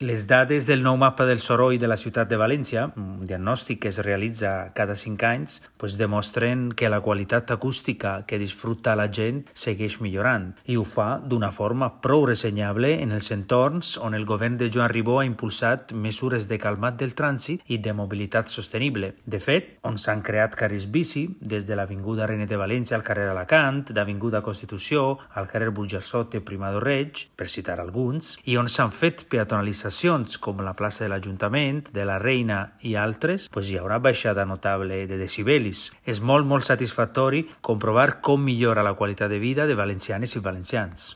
Les dades del nou mapa del soroll de la ciutat de València, un diagnòstic que es realitza cada 5 anys, demostren que la qualitat acústica que disfruta la gent segueix millorant i ho fa d'una forma prou ressenyable en els entorns on el govern de Joan Ribó ha impulsat mesures de calmat del trànsit i de mobilitat sostenible. De fet, on s'han creat carrils bici, des de l'Avinguda Reina de València al carrer Alacant, d'Avinguda Constitució al carrer Burjassot i Primador Reig, per citar alguns, i on s'han fet peatonalitzacions com la plaça de l'Ajuntament, de la Reina i altres, hi haurà baixada notable de decibelis. És molt satisfactori comprovar com millora la qualitat de vida de valencianes i valencians.